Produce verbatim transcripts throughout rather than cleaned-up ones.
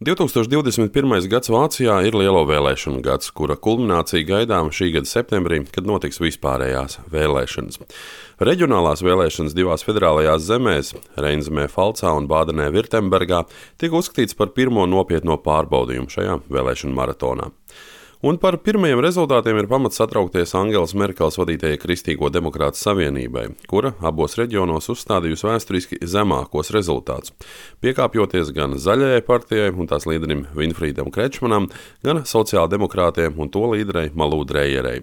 divtūkstoš divdesmit pirmais gads Vācijā ir lielo vēlēšanu gads, kura kulminācija gaidām šī gada septembrī, kad notiks vispārējās vēlēšanas. Reģionālās vēlēšanas divās federālajās zemēs, Reinzemē, Falcā un Bādenē-Virtembergā, tika uzskatīts par pirmo nopietno pārbaudījumu šajā vēlēšanu maratonā. Un par pirmajiem rezultātiem ir pamats satraukties Angelas Merkeles vadītajai Kristīgo demokrātu savienībai, kura abos reģionos uzstādījusi vēsturiski zemākos rezultātus, piekāpjoties gan Zaļajai partijai un tās līderim Winfriedam Kretschmanam, gan sociāldemokrātiem un to līderei Malū Dreierei.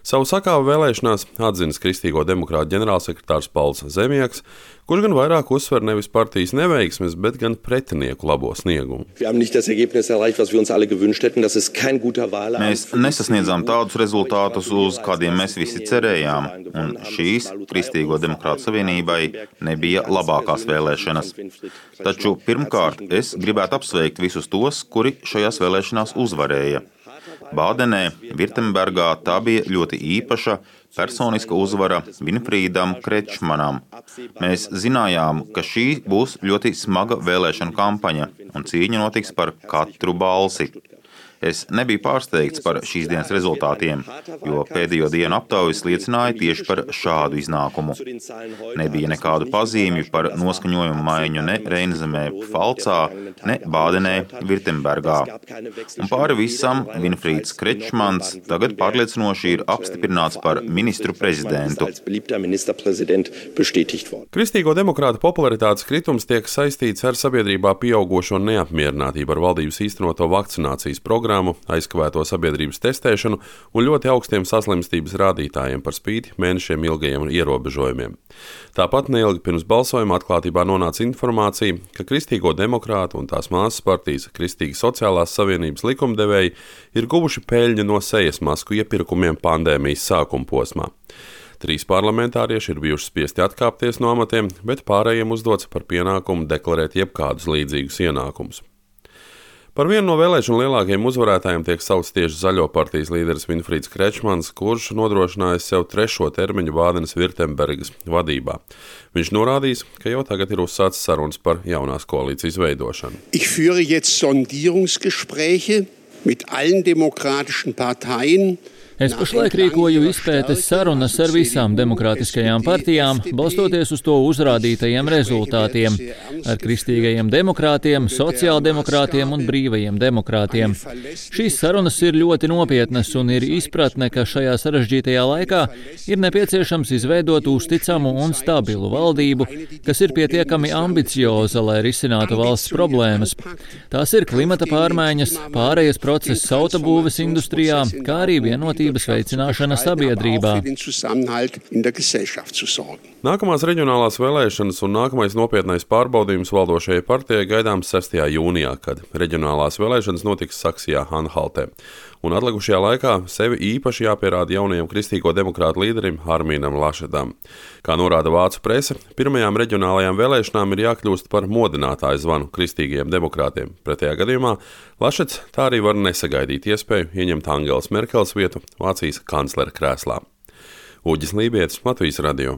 Savu sakāvu vēlēšanās atzinis Kristīgo demokrātu ģenerālsekretārs Pauls Zemieks, kurš gan vairāk uzsver nevis partijas neveiksmes, bet gan pretinieku labo sniegumu. Mēs nesasniedzām tādus rezultātus, uz kādiem mēs visi cerējām, un šīs Kristīgo demokrātu savienībai nebija labākās vēlēšanas. Taču pirmkārt es gribētu apsveikt visus tos, kuri šajās vēlēšanās uzvarēja. Bādenē, Virtembergā tā bija ļoti īpaša personiska uzvara Winfriedam Kretschmanam. Mēs zinājām, ka šī būs ļoti smaga vēlēšanu kampaņa un cīņa notiks par katru balsi. Es nebiju pārsteigts par šīs dienas rezultātiem, jo pēdējo dienu aptaujas liecināja tieši par šādu iznākumu. Nebija nekādu pazīmju par noskaņojumu maiņu ne Reinzemē, Falcā, ne Bādenē, Virtembergā. Un pāri visam Winfrieds Kretschmans tagad pārliecinoši ir apstiprināts par ministru prezidentu. Kristīgo demokrātu popularitātes kritums tiek saistīts ar sabiedrībā pieaugošo neapmierinātību ar valdības īstenoto vakcinācijas programmu, aizkavēto sabiedrības testēšanu un ļoti augstiem saslimstības rādītājiem par spīti mēnešiem ilgajiem ierobežojumiem. Tāpat neilgi pirms balsojuma atklātībā nonāca informācija, ka Kristīgo demokrātu un tās māsas partijas Kristīgi sociālās savienības likumdevēji ir guvuši peļņu no sejas masku iepirkumiem pandēmijas sākuma posmā. Trīs parlamentārieši ir bijuši spiesti atkāpties no amatiem, bet pārējiem uzdots par pienākumu deklarēt jebkādus līdzīgus ienākumus. Par vienu no vēlēšanu lielākajiem uzvarētājiem tiek saukts tieši Zaļo partijas līderis Winfrieds Kretschmans, kurš nodrošinājis sev trešo termiņu Bādenes Virtembergas vadībā. Viņš norādījis, ka jau tagad ir uzsācis sarunas par jaunās koalīcijas veidošanu. Ich führe jetzt Sondierungsgespräche mit allen demokratischen Parteien. Es pašlaik rīkoju izpētes sarunas ar visām demokrātiskajām partijām, balstoties uz to uzrādītajiem rezultātiem, ar kristīgajiem demokrātiem, sociāldemokrātiem un brīvajiem demokrātiem. Šīs sarunas ir ļoti nopietnas un ir izpratne, ka šajā sarežģītajā laikā ir nepieciešams izveidot uzticamu un stabilu valdību, kas ir pietiekami ambicioza, lai risinātu valsts problēmas. Tās ir klimata pārmaiņas, pārējas process autobūves industrijā, kā arī vienotības veicināšana sabiedrībā. Nākamās reģionālās vēlēšanas un nākamais nopietnais pārbaudījums valdošajai partijai gaidāms sestajā jūnijā, kad reģionālās vēlēšanas notiks Saksijā-Anhaltē. Un atlikušajā laikā sevi īpaši jāpierāda jaunajam Kristīgo demokrātu līderim Armīnam Lašetam. Kā norāda vācu prese, pirmajām reģionālajām vēlēšanām ir jākļūst par modinātāju zvanu kristīgajiem demokrātiem. Pretējā gadījumā Lašets tā arī var nesagaidīt iespēju ieņemt Angelas Merkeles vietu Vācijas kanclera krēslā. Uģis Lībietis, Latvijas radio.